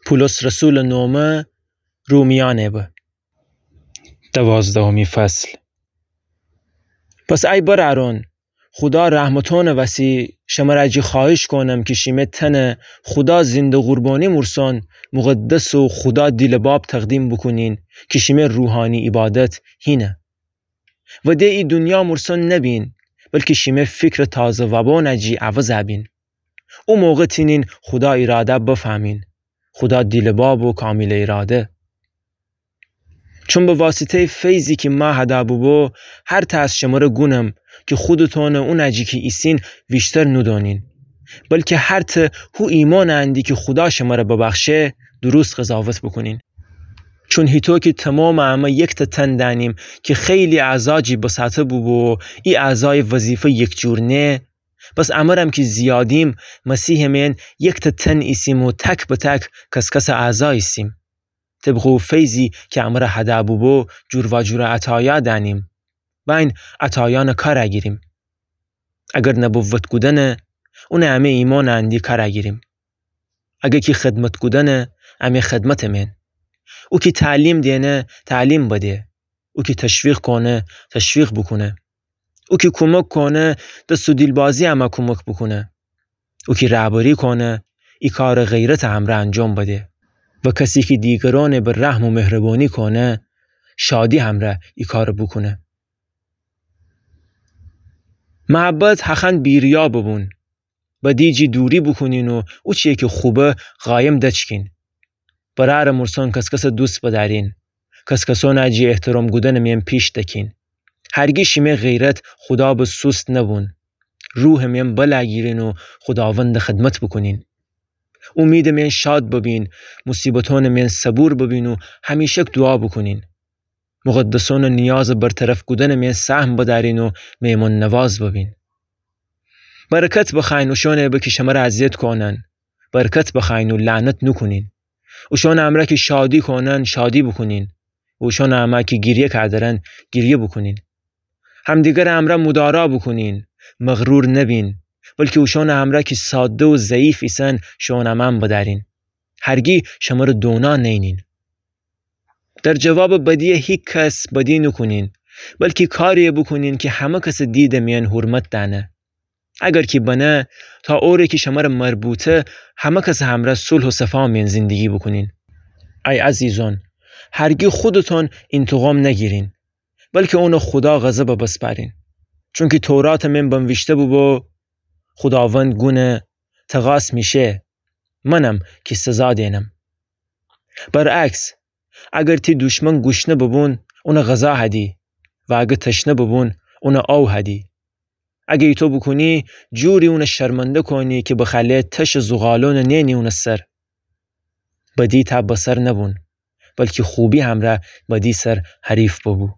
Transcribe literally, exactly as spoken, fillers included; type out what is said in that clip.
پولس رسولٚ نومه رومیأنٚ به. دوازدهمی فصل. پس ای برأرون، خودا رحمتونٚ وسی شمر جی خوأهیش کونم کی شیمه تنه خودا زنده قربانی مورسون، مقدس و خودا دیلٚ باب تقدیم بوکونین کی شیمه روحانی عیبادت هینه. و ده ای دونیا مورسون نبین، بلکی شیمه فیکرٚ تازه وابون جی عوض بین. او موقع تینین خودا ایراده بفهمین، خودا دیلٚ باب و کاملٚ ایراده. چون به واسطه‌یٚ فیضی کی مه هده بوبو، هرتأ از شمره گونم کی خودتون اون جی کی ایسین ویشتر نودونین، بلکی هرتأ هو ایمانٚ اندی کی خودا شمره ببخشه، درست قضاوت بوکونین. چون هیطو کی تومامٚ امه یکتأ تن دأنیم کی خیلی اعضا جی بساطه بوبو و ای اعضایٚ وظیفه یکجور نه، پس امرم کی زیادیم، مسیحٚ مئن یکتأ تن ایسیم و تک به تک کس‌کسٚ اعضا ایسیم. طبقٚ او فیضی کی امره هده بوبو، جورواجور عطایا دأنیم. و این عطایأنٚ کار گیریم. اگر نبوت کودنه، اونٚ امه ایمانٚ اندی کار گیریم. اگر کی خدمت کودنه، امه خدمتٚ مئن. او کی تعلیم دئنه، تعلیم بده. او کی تشویق کونه، تشویق بوکونه. او کی کومک کونه، دس و دیلبازی امه کومک بوکونه. او کی رهبری کونه، ای کارٚ غیرتٚ همرأ انجام بده. و کسی کی دیگرأنٚ به رحم و مهربانی کونه، شادی همرأ ای کارٚ بوکونه. محبت هخوأن بی‌ریا ببون. بدی جی دوری بوکونین و اوچی‌یی کی خوبه قایم دچکین. برأرٚ مورسون کس‌کسٚ دوست بدأرین. کس‌کسأنٚ جی احترام کودنٚ مئن پیش دکین. هرگی شیمه غیرت خودا به سوست نبون. روحٚ مئن بلا گیرین و خوداوندٚ خدمت بوکونین. اومیدٚ مئن شاد ببین، موصیبتأنٚ مئن صبور ببین و همیشک دوعا بوکونین. مقدسأنٚ نیازٚ برطرف کودنٚ مئن سهم بدأرین و مئمون نواز ببین. برکت بخوأیین اوشأنٚ به کی شمره اذیت کونن. برکت بخوأیین و لعنت نوکونین. اوشأنٚ امرأ کی شادی کونن، شادی بوکونین. و اوشأنٚ امرأ کی گریه کودرن، گریه بوکونین. همدیگرٚ امرأ مدارا بوکونین، مغرور نبین، بلکی اوشأنٚ امرأ کی ساده و ضعیف ایسن، شوئون امان بدأرین. هرگی شمره دونا نئینین. در جوابٚ بدی هیکس بدی نوکونین، بلکی کاری بوکونین کی همه کسٚ دیدٚ مئن حرمت دأنه. اگر کی بنه، تا اوره کی شمره مربوطه، همه کسٚ همرأ صلح و صفا مئن زندگی بوکونین. ای عزیزأن، هرگی خودتون انتقام نگیرین، بلکی اونه خودا غضب بسپارین. چونکی توراتٚ مئن بنویشته بوبو، خوداوند گونه، تقاص میشه، منم کی سزا دئنم. برعکس، اگر تی دشمن گوشنه ببون، اونه غذا هدی، و اگر تشنه ببون، اونه آو هدی. اگر ایتو بوکونی، جوری اونه شرمنده کونی کی بخأله تشٚ زغالونٚ نئنی اونٚ سر. بدی تا بسر نبون، بلکی خوبی همرأ بدی سر حریف ببو.